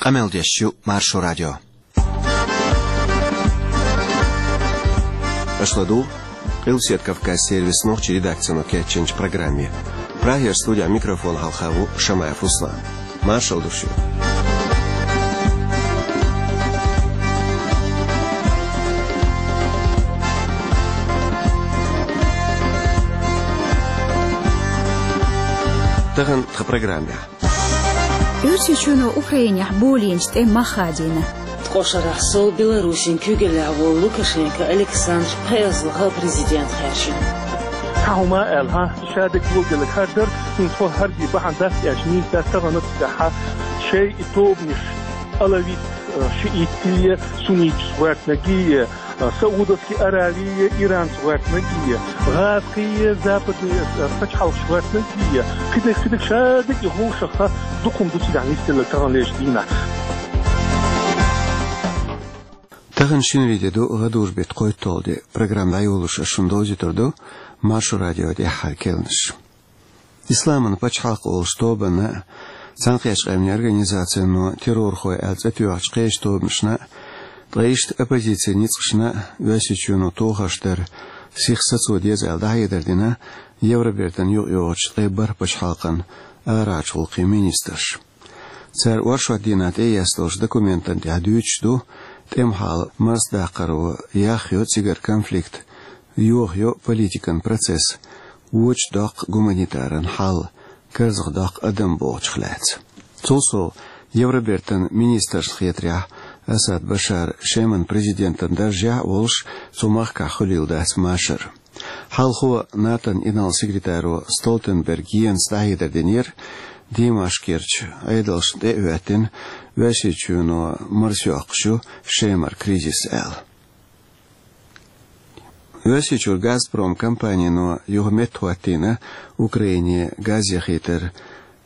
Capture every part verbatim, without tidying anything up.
Къамел деш ю Маршо радио. Аша ладугӀу Къилбаседа Кавказан сервисан нохчийн редакцино кечйинчу программе. Прагера студин микрофона хьалха ву Шамаев Руслан. Маршалла ду шуьга. Тахана тхан программехь. Оьрсийчоьно Украинехь болийначу тӀе мах хадийна. Ткъа шарахь сов Беларусин куьйгаллехь волу Лукашенко Александр пхеазалха президент хаьржина. Цхьа хӀума а аьлла, хьан, ша дерг ло гелаг хӀара дара, хӀинца хӀара бахьана дац аьлча, нийса дац тахана цигахь шайн и тобанаш, алавит, шиитий, сунниташ гӀоьртинаргий, Саудовский Аравия, Иранца гӀоьртинаргий, гӀазкхий, западный, э, пачхьалкхаш гӀоьртинаргий, кхидерг, кхидерг ша дерг и хӀума шаха дукха хӀума ду цигахь нисделларг таханлерчу дийнахь. Тахана шинарин де ду, гӀадужу беттан кхойтталгӀа де. Программа дӀайолош ас шуна довзуьйтур ду Маршо радион тӀаьххьара керланаш. Исламан пачхьалкх олучу тобанна, Цхьаьнакхеттачу Къаьмнийн Организацино террорхой аьлла цӀе тоьхначу кхечу тобанашна, ткъа иштта оппозицин ницкъашна Оьрсийчоьно тохарш дар сиха сацо деза аьлла дӀахьедар дина Евробертан юкъайогӀучу ткъе бархӀ пачхьалкхан арахьарчу гӀуллакхийн министраша. Цара оршот дийнахь тӀеэцна долчу документана тӀехь дуьйцуш ду, тӀеман хьал марсадаккхаро яхйо цигара конфликт, йохайо политикан процесс, вочу доккху гуманитаран хьал, карзахдоккху адам бохучух лаьцна. Цул сов, Евробертан министрашна хетарехь, Асад Башар Шеман президентан даржехь а волуш, цу махкахь хуьлийла дац машар. Хьалхо НАТОн инарла-секретаро Столтенберг Йенса дӀахьедар динера, Димашкерчу Ӏедалшна тӀе а хӀоьттина, Оьрсийчоьно марсайоккхуш ю Шемара кризис аьлла. Оьрсийчуьра Газпром компанино юха меттахӀоттийна Украине газ яхийтар,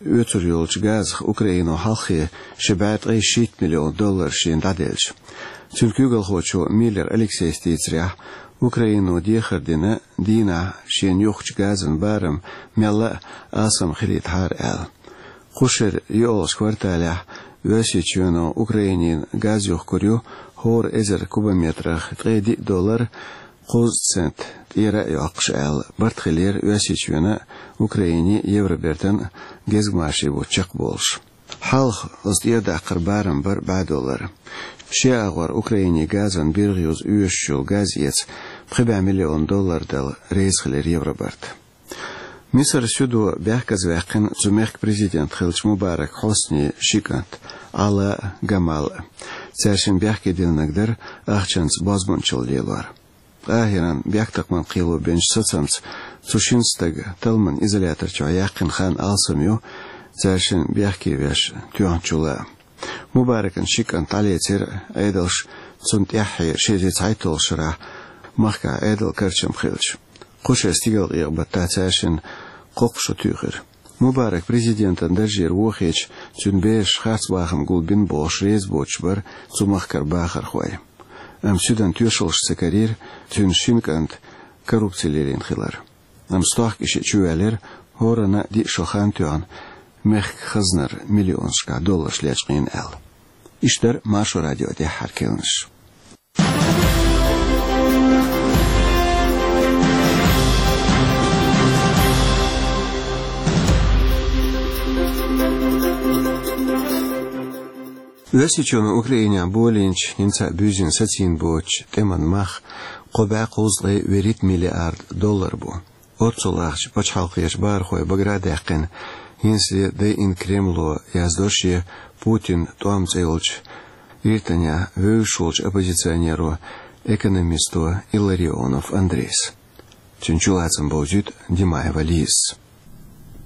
оьцур йолчу газах Украино хьалххе ши бӀе ткъе шийтта миллион доллар шена дӀаделча. Цуьнан куьйгалхочо Миллер Алексейс дийцарехь, Украино дехар дина дийнахь шена юхкучу газан барам мелла а алсам хилийтахьара аьлла. Кху шеран йоьалгӀачу кварталехь Оьрсийчоьно Украинина газ юхкур ю хӀора эзар кубометрах ткъе диъ доллар, кхузткъа цент тӀера а йоккхуш аьлла, барт хилира Оьрсийчоьнан а, Украинин а, Евробертан а гезгмашин бутт чекхболуш. Хьалха оцу тӀера даккхар барам бара бӀе доллар. Шен агӀор Украине газан биргӀа юза оьшуш йолу газ эца пхи бӀе миллион доллар дала реза хилира Евробарт. Мисар суьдо бехказаваьккхина цу мехкан президент хиллачу Мубарак Хьоснин ши кӀант, Ӏала а, Гамал а. Цаьршинна бехке диллинарг дара ахчанца бозбунчалла лелор. Къахьиран бехктакхаман кхело бинчу сацамца цу шина стага талламан изолятор чохь яьккхина хан алсам ю, цаьршинна бехке веш тоьхначул а. Мубаракан ши кӀант дӀалецира Ӏедалша, цунна тӀаьххье ши эзар цхьайтталгӀачу шарахь махкахь Ӏедалан карчам хилча. Кху шеран стигалкъекъа баттахь цаьршинна кхоккха шо туьйхира. Мубарак президентан даржера вохийча, цуьнан бераш харц бахам гулбина бохуш реза боцуш бара цу махкара бахархой. Амма суьдан тоьшаллаш ца карийра цуьнан шина кӀанта коррупци лелийна хилар. Амма стохка и шиъ чувоьллира хӀоранна а диъ шо хан тоьхна, мехкан хазнара миллионашкахь долларш лечкъийна аьлла. Иштта дара Маршо радион тӀаьххьара керланаш. Оьрсийчоьно Украинехь болийначу, хӀинца а буьззина сацийна боцучу тӀеман мах кхо бӀе кхузткъе вуьрхӀитта миллиард доллар бу. Оццул ахча пачхьалкхерчу бахархой багара а даьккхина, хӀинцале дайина Кремло, яздо шен Путин тӀом цӀе йолчу гӀиртанехь вевзаш волчу оппозиционеро, экономисто Илларионов Андрейс. Цуьнан чулацам бовзуьйту Димаева Лизас.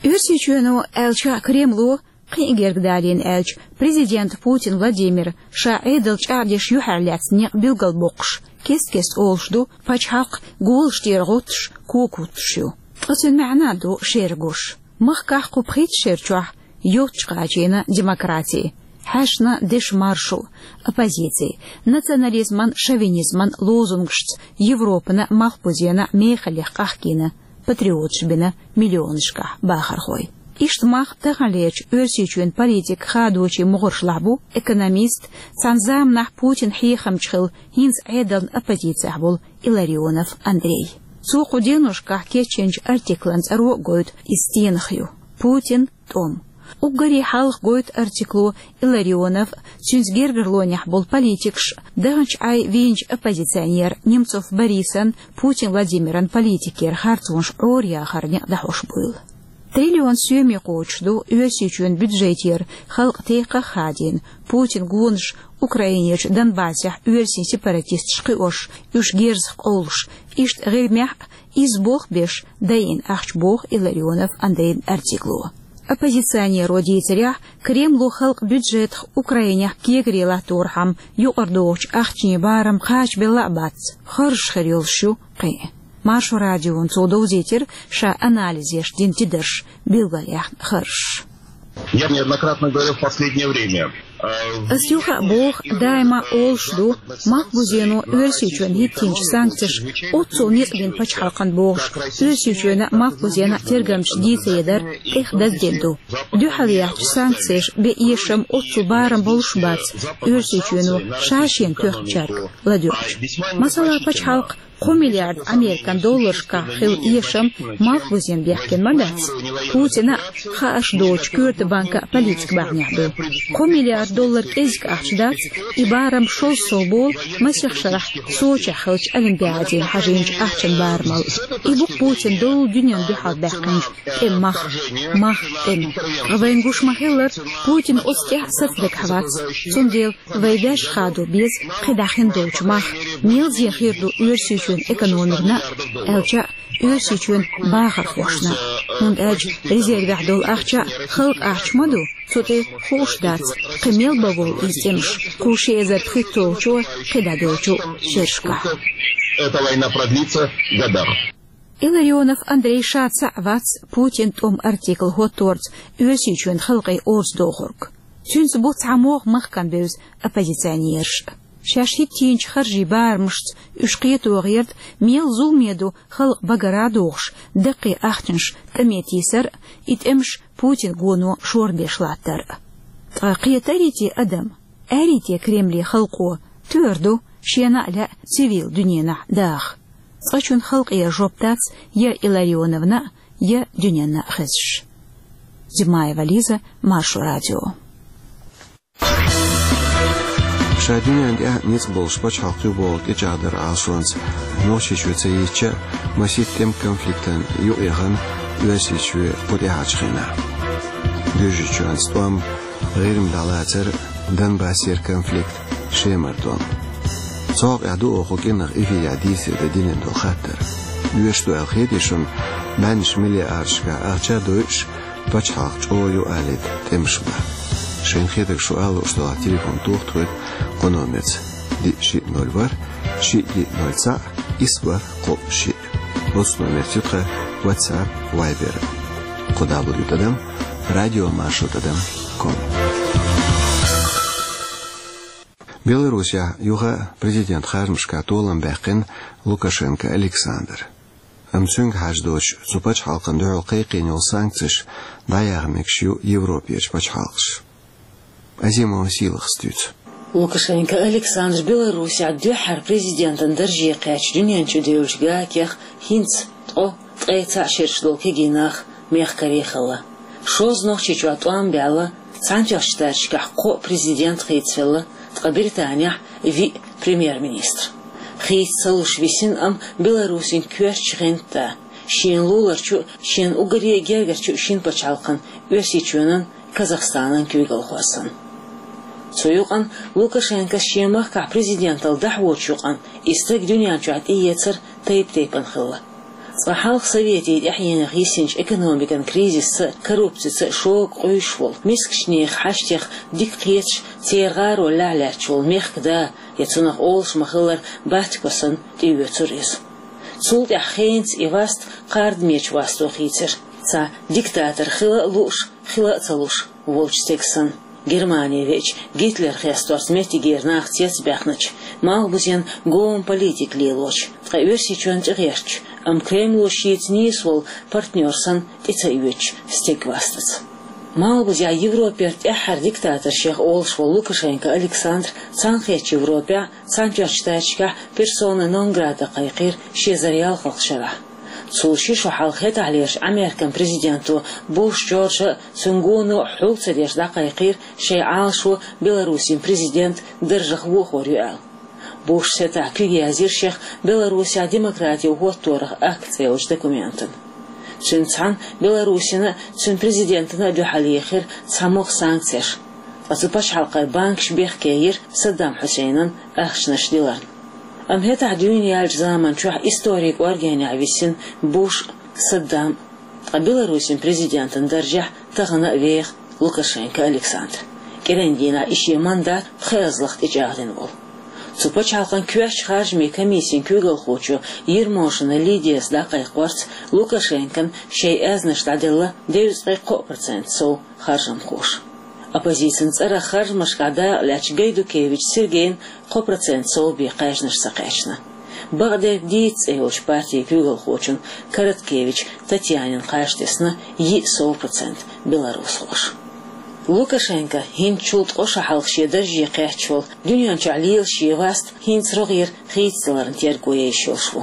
Оьрсийчоьно, аьлча Кремло, кхин а гергга далийна аьлча, президент Путин Владимир ша Ӏедал чӀагӀдеш юьхьарлаьцна некъ билгалбоккхуш, кест-кеста олуш ду, пачхьалкх голаш тӀера гӀоттуш, кога хӀуттуш ю. Ткъа цуьнан маьӀна а ду шера гуш. Махкахь кху пхийтта шера чохь йоццуш кхачийна демократи, хьаьшна дешан маршо, оппозици, национализман, шовинизман лозунгашца Европана а, малхбузена а мехаллех къахкийна, патриоташ бина миллионашкахь бахархой. Иштта мах таханлерчу Оьрсийчоьнан политикан хадочийн могӀаршлахь бу экономист, цхьана заманахь Путинан хьехамча хилла, хӀинца Ӏедална оппозицехь волу Илларионов Андрей. Цо кху деношкахь кечйинчу артиклан цӀаро а гойту иза стенах ю: «Путин, тӀом». Уггаре хьалха гойту артикло Илларионов, цуьнца гергарлонехь болу политикаш, даханчу Ӏай вийначу оппозиционер Немцов Борисан, Путин Владимиран политикера харцонаш Ӏораяхар некъ дӀахьош буйла. Триллион соьме кхочуш ду Оьрсийчоьнан бюджетера, халкъан текхах а хадийна, Путинан гонаш Украинерчу Донбассехь оьрсийн сепаратисташ кхиош, уьш герзах къовлуш, иштта ГӀирмехь а изза болх беш дайина ахча, боху Илларионов Андрейн артикло. Оппозиционеро дийцарехь, Кремло халкъан бюджетах Украинехь кегаре латторхьама юкъара догӀучу ахчанийн барам кхачабелла а бац, харжаш хир йолуш ю кхин а. Маршо радиона цо довзийтира ша анализ еш дина тидарш, билгалъяьхна харжаш. Я неоднократно говорил в последнее время. Ас юха а боху, даима олуш ду, Малхбузено Оьрсийчоьнна хӀиттийначу санкцеша оццул некъ бина пачхьалкхана бохуш, Оьрсийчоьнан а, Малхбузенан а тергамчаша дийцаре дара, тӀех даздина ду. Дуьхьал яьхначу санкцеша бен эшам оццул барам болуш а бац, Оьрсийчоьно ша шена тоьхначаьрга ладоьгӀча. Масала, пачхьалкх кхо миллиард американ долларшкахь хилла эшам Малхбузен бехкина ма дац. Путина а хаарш доцучу коьрта банкан политика бахьанехь ду. Кхо миллиард доллар кӀезиг ахча дац, и барам шозза сов болу масех шарахь Сочехь хиллачу Олимпиадина хьажийначу ахчан барамал. И бу-кх Путина долу дуьненна дуьхьал баьккхинчу тӀеман мах. Мах тӀеман. Ткъа вайна гуш ма-хиллара, Путина оцу тӀехь сацадагахь вац. Цундела вай ваьш хадо беза кхидӀа хин долчу мах. Мелзе хир ду Оьрсийчоьнан экономикана а, аьлча а, Оьрсийчоьнан бахархошна а. ХӀунда аьлча резервехь долу ахча а халкъан ахча ма ду, цу тӀе хууш дац, кхин мел бан волу иза тӀемаш, кху ши эзар пхийтталгӀачу, кхидӀа долчу шерашкахь. Эта война продлится годах. Илларионов Андрей ша цхьаъ вац Путин тӀом артикл хӀотторца Оьрсийчоьнан халкъе орца дохург. Цуьнца бу цхьа могӀа махкана бевза оппозиционераш. Шаьш хӀиттийначу харжийн барамашца уьш кхето гӀерта, мел зуламе ду халкъ багара а дохуш, даккхий ахчанаш тӀаме тийсар а, и тӀемаш Путинан гоно шорбеш латтар а. Ткъа кхетарий те адам? Арий те Кремле халкъо, тӀера ду шена а лаьа цивил дуьненахь даха? Цкъачунна халкъера жоп дац я Илларионовна а, я дуьненна а хезаш. Зимаева Лиза, Маршо радио. Ша дуьненна тӀехь ницкъ болуш пачхьалкх ю боху тӀечӀагӀдаран Ӏалашонца Нохчийчоь ца йитча а, масийтта тӀеман конфликтана юкъаяхана Оьрсийчоь кху тӀаьхьарчу хенахь. Гуьржийчоьнца тӀом, ГӀирма дӀалацар, Донбассера конфликт, Шемара тӀом. Цу хьокъехь ду оха кху кӀирнах эфирехь дийцаре дан динарг долу хаттар. Оьшуш ду аьлла хетий шуна, бӀеннаш миллиардашкахь ахча а дойуш, пачхьалкх чӀогӀа юкъаалийта тӀемаш бан? Шайна хетарг шу ала лууш делахь, телефон тоха тхоьга кху номерца: диъ, шиъ, ноль, ворхӀ, шиъ, диъ, ноль, цхьаъ, исс, бархӀ, кхоъ, шиъ. Оцу номерца ю тхан WhatsApp, Viber. Кху дабл ю тӀадам радиомаршо тӀадам ком. Беларусехь юха а президентан харжамашкахь толам баьккхина Лукашенко Александр. Амма цуьнга хьажа доцуш, цу пачхьалкхана дуьхьал кхайкхийна йолу санкцеш дӀаяха мегаш ю Европерчу пачхьалкхаша. Азимова Сийлахас дуьйцу. Лукашенко Александр Беларусехь дуьххьара президентан дарже кхаьчча дуьнен чу девллачу гакех хӀинца ткъо, ткъе цхьаъ шераш долу кегий нах мехкарий хилла. Шозза Нохчийчохь тӀом баьлла, Цхьаьнатоьхначу Штаташкахь кхоъ президент хийцаделла, ткъа Британехь виъ премьер-министр. Хийца ца луш висина, амма Беларусин коьртачу гӀанта, шена луларчу а, шена уггаре а гергарчу а шина пачхьалкхан, Оьрсийчоьнан, Казахстанан куьйгалхо санна. Цу юкъана Лукашенкос шен махкахь президенталла дӀахьочу юкъана и стаг дуьнен чохь тӀеэцар тайп-тайпана хилла. Цкъа хьалха Советийн тӀаьхьенах йисинчу экономикан кризисца а, коррупцица а шога къуьйсуш волу, мискачу нехан хьаштех дика кхеташ, церан гӀаро лаьхьа лаьтташ волу мехкан да, я цунах олуш ма-хиллара Батько санна, тӀеоьцура иза. Цул тӀаьхьа хенца и васт кхардамечу васто хийцира, цхьа диктатор хила а лууш, хила а ца луш волчу стеган санна. Германе веача, Гитлер хесторца меттигера нах цецбаьхначу, малхбузен гоман политика лелочу, ткъа Оьрсийчоьнна тӀегӀертачу Амма Кремло шийца нийса волу партнёр санна тӀе ца оьцуш стегвастац. Малхбузехь Европера тӀаьххьара диктаторех олуш волу Лукашенко Александр Цхьаьнакхеттачу Европехь, Цхьаьнатоьхначу Штаташкахь персона нон грата кхайкхийра ши эзар ялхалгӀачу шарахь. Цул ши шо хьалха хӀетахьлерчу Американ президенто Буш Джорджа а, цуьнан гоно а хьул ца деш дӀакхайкхийра шайн Ӏалашо Беларусин президент даржах вохор ю аьлла. Бушас хӀетахь куьг яздира шех Беларусехь демократин хӀотторах акт цӀе йолчу документана. Цуьнца цхьаьна Беларусина а, цуьнан президентана а дуьхьал йохкийра цхьа могӀа санкцеш, ткъа цу пачхьалкхан банкаш бехке йира Саддам Хьусейнан ахчанаш диларна. Амма хӀетахь дуьйна яьллачу заманчохь историн кӀоргенехь висина Буш а, Саддам а, ткъа Беларусин президентан даржехь тахана а веха Лукашенко Александр, кӀиран дийнахь и шен мандат пхи эзлах тӀечӀагӀдина волу. Цу пачхьалкхан коьртачу харжамийн комиссин куьйгалхочо Ермошина Лидияс дӀакхайкхорца, Лукашенкона шайн аьзнаш дӀаделла девзткъе кхоъ процент сов харжамхоша. Оппозицин цӀарах харжамашкахь дакъа лаьцначу Гайдукевич Сергейна кхо процент сов бен кхаьжнаш ца кхаьчна. Бакъдерг дийца цӀе йолчу партин куьйгалхочун Короткевич Татьянин кхаж тесна йиъ сов процент беларусхоша. Лукашенко хӀинцачул ткъа шо хьалха шен дарже кхаьчча волу дуьнен чохь лела шен васт хӀинца рогӀера хийцадаларна терго еш йолуш ву.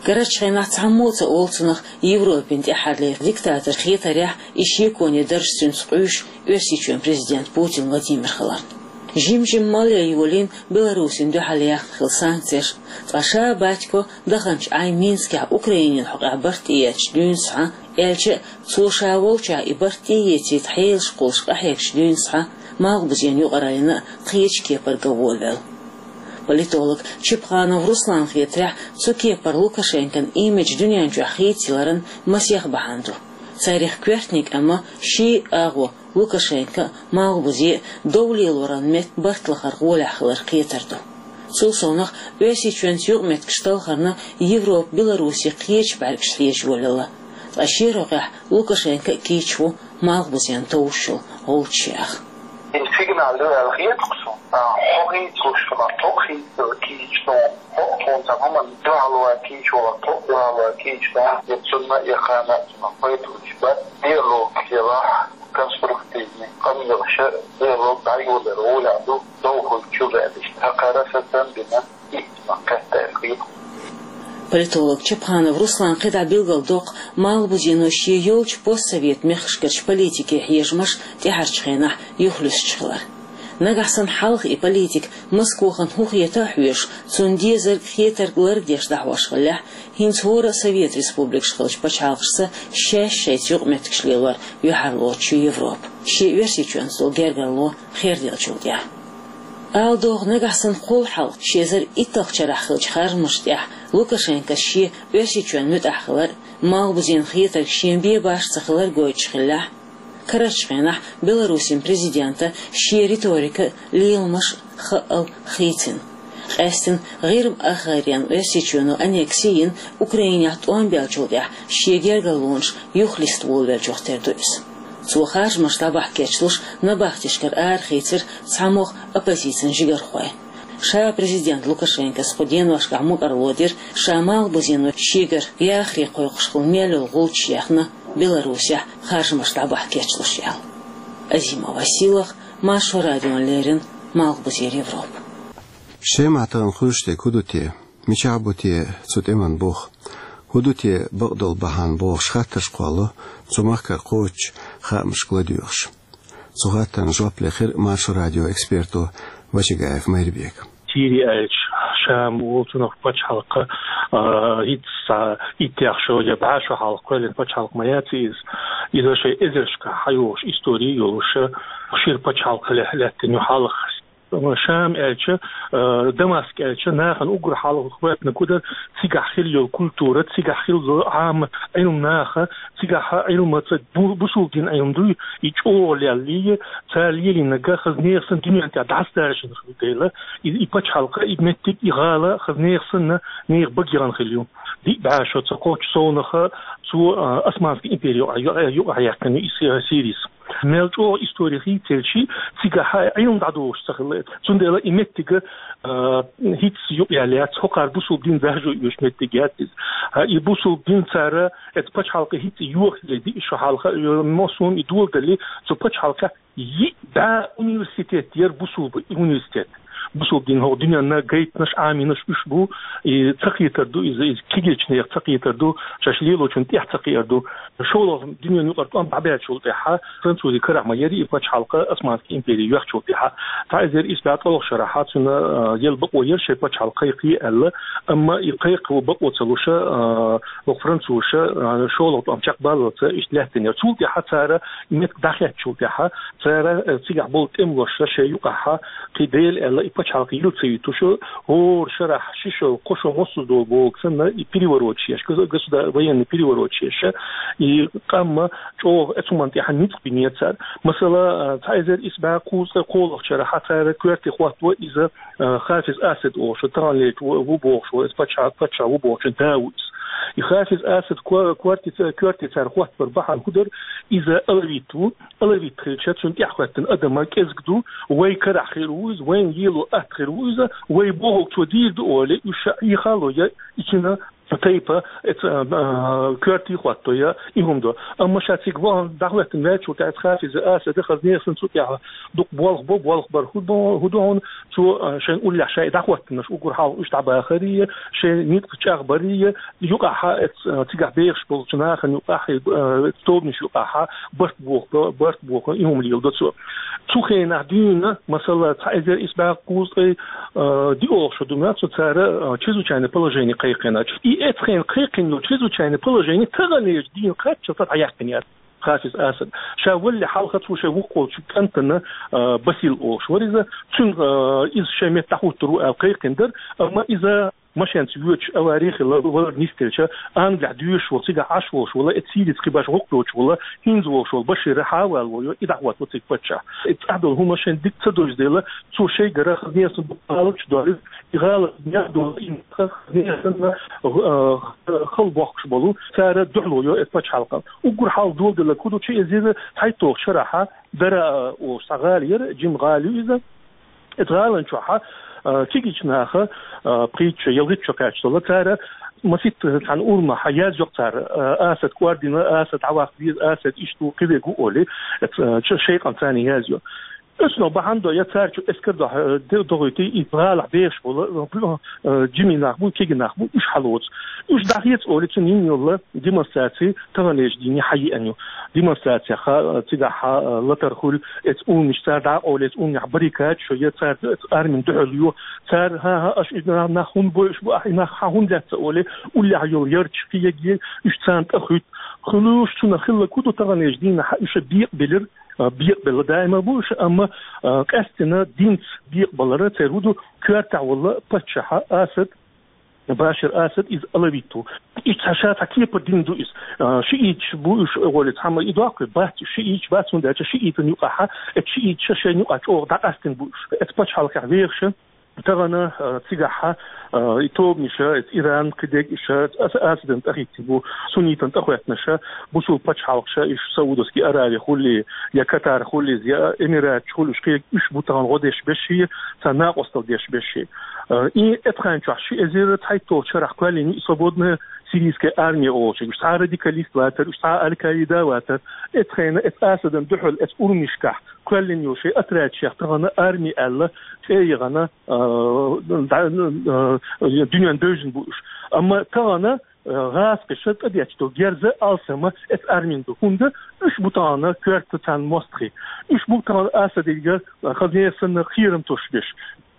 Карарчу хенахь цхьаммо а ца олу цунах Европин тӀаьххьарлера диктатор хетарехь, и шеконе дарж цуьнца къуьйсуш Оьрсийчоьнан президент Путин Владимир хиларна. Жим-жимма малъян йолийна Беларусина дуьхьал яьхна хилла санкцеш, ткъа ша Батько даханчу Ӏай Минскехь Украинин хьокъехь барт тӀеэцча дуьйна схьа, аьлча а, цо ша волчохь и барт тӀеэцийта хьелаш кхуллуш къахьегча дуьйна схьа, Малхбузенан юкъараллина а кхечу кепара ган волавелла. Политолог Чепханов Русланна хетарехь, цу кепара Лукашенкон имидж дуьнен чохь хийцаяларан масех бахьана ду. Царех коьртаниг, амма ший агӀо Лукашенко а, Малхбузе а дов лелоран метта барт лахара гӀолехь хилар кхетар ду. Цул совнаха, Оьрсийчоьнца юкъаметтигаш талхарна Европа Беларусе кхечу бӀаьргашца хьежа йолаелла, ткъа шен рогӀехь Лукашенко а кийча ву Малхбузенна товш йолу гӀулчаш яха. Иза сигнал ю аьлла хета-кх суна. А, хьо хийцалуш хилар, тхо хийцалуш кийча суна. Хьо тхуна цхьа хӀуманна дуьхьал ван кийча валар, тхо дуьхьал ван кийча суна. Я цунна, я кхана цунах пайда луьйш бац. Диалог елахь, конструктивный къамелаш, диалог дӀайолор гӀолехь ду, дов хуьлучу баьллаш. Хьакхара сацам бина, и ма кхетта аьлла хета. Политолог Чепханов Руслан кхидӀа билгалдоккху Малхбузено шен йолчу постсовет мехкашкарчу политике хьежамаш тӀаьхьарчу хенахь юхалуьстуш хилар. Нагахь санна хьалха и политика Москохана хӀун хета а хьоьжуш, цунна дезарг, хетарг ларбеш дӀахьош хиллехь, хӀинца хӀора а Совет республикаш хиллачу пачхьалкхашца шаьш шайца юкъаметтигаш лелор юьхьарлоцуш ю Европа, шен Оьрсийчоьнца долу гергарло херделлачул тӀаьхьа. Ала догӀу, нагахь санна кхул хьалха ши эзар итталгӀачу шарахь хиллачу харжамашна тӀехь Лукашенкос шен Оьрсийчоьнна муьтӀахь хилар а, Малхбузенан хетарг шен бен башха ца хилар а гойтуш хиллехь, карарчу хенахь Беларусин президента шен риторика а, леламаш а хаъал хийцина. Къаьсттина ГӀирма-Ахаренан Оьрсийчоьно аннекси йина Украинехь тӀом баьллачул тӀаьхьа шен гергарлонаш юхалиста волавеллачух тера ду иза. Цо харжамаш дӀабахьа кечлуш набахтешкара арахийцира цхьа могӀа оппозицин жигархой. Ша президент Лукашенкос кху деношкахь мукӀарло дира, ша Малхбузено шегара яхаре кхойкхуш хилла мел йолу гӀулчаш яьхна Беларусехь харжамаш дӀабахьа кечлуш аьлла. Азима Василах, Маршо радиона леррина, Малхбузера Европа. Шемахь тахана хуьлуш дерг хӀун ду те? Мичахь бу те цу тӀеман бух? ХӀун ду те бакъдолу бахьана бохуш хаттарш кхолло цу махкара кхочучу хаамашка ладоьгӀуш. Цу хаттарна жоп лехира Маршо радион эксперто Вачагаев Майрбека. Сири аьлча, Шам волу цунах пачхьалкх, а, итт схьа, итт шо я бӀе шо хьалха кхоьллина пачхьалкх ма яц иза. Иза шайн эзаршкахь хьайогӀуш истори йолуш, шира пачхьалкх лаьттина ю хьалха. Шам аьлча, а, Дамаск аьлча, нахана уггар хьалха хӀоьттина кудар, цигахь хилла йолу культура, цигахь хилла йолу Ӏама Ӏилма наха, цигахь Ӏилма ца бу-, бусулба дин Ӏилма дуй, и чӀогӀа леллий, цара лелийнарг хаза нехан санна дуьнен тӀехь дӀасадаржийна хилла дела, и, и пачхьалкх, и меттиг, и гӀала хаза нехан санна нехан бага яхана хилла ю. Диъ бӀе шо ца кхоччу совнаха цо, а, Османская империя юкъа-, юкъа-, юкъахь яьккхина ю и Си-, Сирис. Мел чӀоагӀа истори хийцаелчи, цигахьа Ӏилма дӀадолуш ца хилла. Цундела и меттига, а, хӀинца юкъ яьлла яц, хӀокхара бусулба дин заржо йоьшу меттиг яц иза. А, и бусулба дин цара, это пачхьалкхе хӀинца йохале диъ шо хьалха, э, массо а и доладале, цу пачхьалкхехь йиъ бӀе университет яра бусулба университет. Бусулба дин хӀокху дуьненна гайтанаш, Ӏамийнаш уьш бу, и ца кхетар ду иза, иза кегийчу нехан ца кхетар ду, шаьш лелочун тӀехь ца кхетар ду. ШолгӀа дуьненан юкъара тӀом дӀабаьллачул тӀаьхьа, французийн карахь ма яра и пачхьалкх, Османский импери йоьхначул тӀаьхьа. Цхьа эзар исс бӀе ткъолгӀачу шарахь цуьнан, а, яла бакъо яра шайн пачхьалкх кхайкхий аьлла, амма и кхайкхо бакъо ца луш, а, хӀокху французаша, а, шолгӀа тӀом чекхбаллалц иштта лаьттина яра. Цул тӀаьхьа цара и меттиг дӀахецначул тӀаьхьа, цара, э, цигахь болу тӀемалоша шайн юкъахьа кхин дела аьлла, и пачхьалкх йила ца юьтуш, хӀора шарахь ши шо, кхо шо массо а долу бохург санна, и перевороташ еш, госу-, государ-, военный перевороташ еш, и къам чӀогӀа оцу хӀуманна тӀехь ницкъ бинера цара. Масала, э, цхьа эзар исс бӀе кхузткъе кхоалгӀачу шарахь цара коьрте хӀотто иза, э, Хафиз Асад олуш, таханлерчу ву-, ву бохуш волу, иза пачхьа-, паччахь ву бохучун да ву иза. И Хафиз Асад ко-, коьрте ца-, коьрте цара хӀоттабар бахьана хӀун дара, иза алавит ву, алавит хилча, цунна тӀаьхьахӀоьттина адам кӀезиг ду, вай карахь хир ву иза, вайна лело атта хир ву иза, вай бохург цо дийр ду олий, уьш Ӏехало я, и цуьнан тайпа, эца, а, коьрте хӀотто я, и хӀума до. Амма ша цига вахана дӀахӀоьттина ваьллачул тӀаьхьа Хафиз Асада хазне санна цу тӀехь дукха болх бо, болх бар хӀун бо, хӀун ду хьуна, цо, а, шайн уллехь шайн дӀахӀоттинарш уггар хьалха уьш дӀабахарий, шайн ницкъ чӀагӀбарий, юкъахьа, эц-, цигахь бехаш болчу нахана юкъахь, э, тобанаш юкъахьа барт боху, барт боху, и хӀума леладо цо. Цу хенахь дуьйна, масала, цхьа эзар исс бӀе кхузткъе, э, диъолгӀа шо ду ма цо цара, э, чрезвычайное положение кхайкхина. И эцхьайна кхайкхина йолу чрезвычайное положение таханлерчу дийна кхаччалц дӀаяьккхина яра Хафиз Асад. Ша валале хьалха цо шайн вукху волчу кӀантана, э, Басил олуш вара иза. Цуьнан, э, иза шайн метта дӀахӀуттур ву аьлла кхайкхина дара, амма иза машенца воьдуш авари хилла, валар нисделча, Англехь доьшуш волу, цигахь Ӏаш волуш волу, и Сирица кхин башха гӀуллакх йоцуш волу, хӀинца волуш волу Башир а хьавалало, и дӀахӀотто цига паччахь. И цӀахь долу хӀума шайна дика ца дойзу дела, цо шайгара хазне санна дукха гӀалаташ долуьйту, и гӀалат нах долу, и нах хазне санна, а, хала бохкуш болу, цара дуьхьало йо эцу пачхьалкхана. Уггар хьалха доладелларг хӀун ду, чу эзира цхьайтталгӀачу шарахьа, Дара, а, олуш цхьа гӀала яра, жима гӀала ю иза. Эцу гӀалан чохьа, а, кегийчу наха, а, пхийтта шо, ялхитта шо кхаьчна долу, цара масийтта цхьана урамехь язйо-кх цара, а, Асад кӀордийна, Асад дӀаваккха веза, Асад иштта ву, кхидерг ву олий, эцу, а, чу шайкъан царна язйо. Оцунах бахьана до, я цара чу эскар дохь-, а, де-, дохуьйтий, и гӀалахь бехаш болу, а, жимий нах бу, кегий нах бу, уьш хьалоцу. Уьш дӀахеца олий, цуьнан йина йолу демонстраци таханлерчу дийне хьаеана ю. Демонстрацех, а, цигахь, а, латар хуьлу, эцу урамаш цара дӀакъовлу, эцу урамехь баррикадаш йо, я цара эцу армина дуьхьал йо. Цара, хӀан-хӀа, аша и нах хӀунда бойуш бу, ахь и нах хьан хӀунда лаьцна олий, уллехь йолу ярташ кхиегий, уьш царна тӀе хуьтту. Хуьлуш цунах хилларг хӀун ду, таханлерчу дийнахь уьш бекъабелира, а, бекъабелла даима бу уьш, амма, а, къаьстина динца бекъабалар, церан хӀун ду, коьртехь волу паччахь Асад, Башир Асад, иза алавит ву. Иза цхьа ша цхьа кепара дин ду иза. А, шииташ бу уьш, гӀоле цхьамма и доккхий бац, шииташ бац, хӀунда аьлча шиитан юкъахьа, эцу шииташа шайна юкъахь чӀогӀа дӀакъастина бу уьш. Эцу пачхьалкхехь вехаш, тахана, а, цигахьа, а, и тобанаш, эцу Иран, кхидерг иша, аса Асадан тӀахӀиттина бу, суннитан тӀахӀоьттинарш, бусулба пачхьалкхаш, уьш Саудовский Аравия хуьлий, я Катар хуьлий, я Эмираташ хуьлий, уьш кхе-, уьш бу тахана гӀо деш берш, царна накъосталла деш берш. Э, и эцхьайн чохь ши эзар цхьайтталгӀачу шарахь кхоьллина ю и свободная сирийская армия олуш. Уьш цхьа радикалист вацара, уьш цхьа Аль-Каида вацара. Эцхьайна, эцу Асадан дуьхьал, эцу урамашкахь кхоьллина йолу шайн отрядашех тахана арми аьлла, цӀе яхана, э, да-, э, дуьненна девзина бу уьш. Амма тахана, э, гӀазкхаша тӀедетташ долу герз алсамма эцу армина ду. ХӀунда уьш бу тахана коьрта царна мостагӀий. Уьш бу тахана Асадига, э, хазне санна кхерам тосуш берш.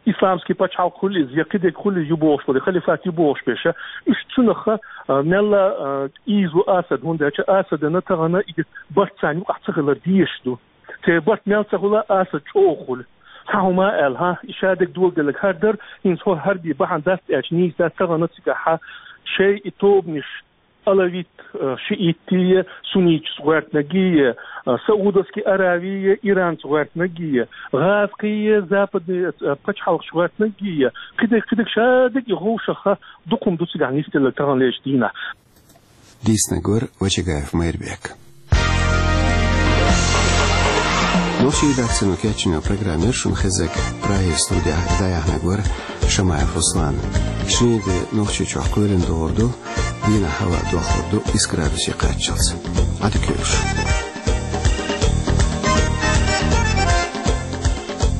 Исламский пачхьалкх хуьлий иза, я кхидерг хуьлий ю бохуш болу, халифат ю бохуш берш, уьш цунах, а, мелла, а, ийза ву Асад, хӀунда аьлча Асадана тахана и барт царна юкъахь ца хилар дезаш ду. Церан барт мел ца хуьла, Асад чӀогӀа хуьлу. Цхьа хӀума аьлла, хӀа, и шадерг доладелларг хӀара дара, хӀинца хӀо хӀара бен бахьана дац аьлча, нийса дац, тахана цигахьа шайн и тобанаш, алавит, э, шиитий, сунниташ гӀоьртинаргий, э, Саудовский Аравий, Иранца гӀоьртинаргий, гӀазкхий, западный, э, пачхьалкхаш гӀоьртинаргий, кхидерг, кхидерг шадерг и гӀовшаха дукха хӀума ду цигахь нисделларг таханлерчу дийнахь. Дийцинарг вара Вачагаев Майрбек. Нохчийн редакцино кечйина программа яр шун хеззиг. Прагера студехь дӀаяьхьнарг вара Шамаев Руслан. Шинарин де Нохчийчохь кхоьлина догӀур ду, дийнахь хӀаваъ дохлур ду исс градусе кхаччалц. Ӏадика йойла шун.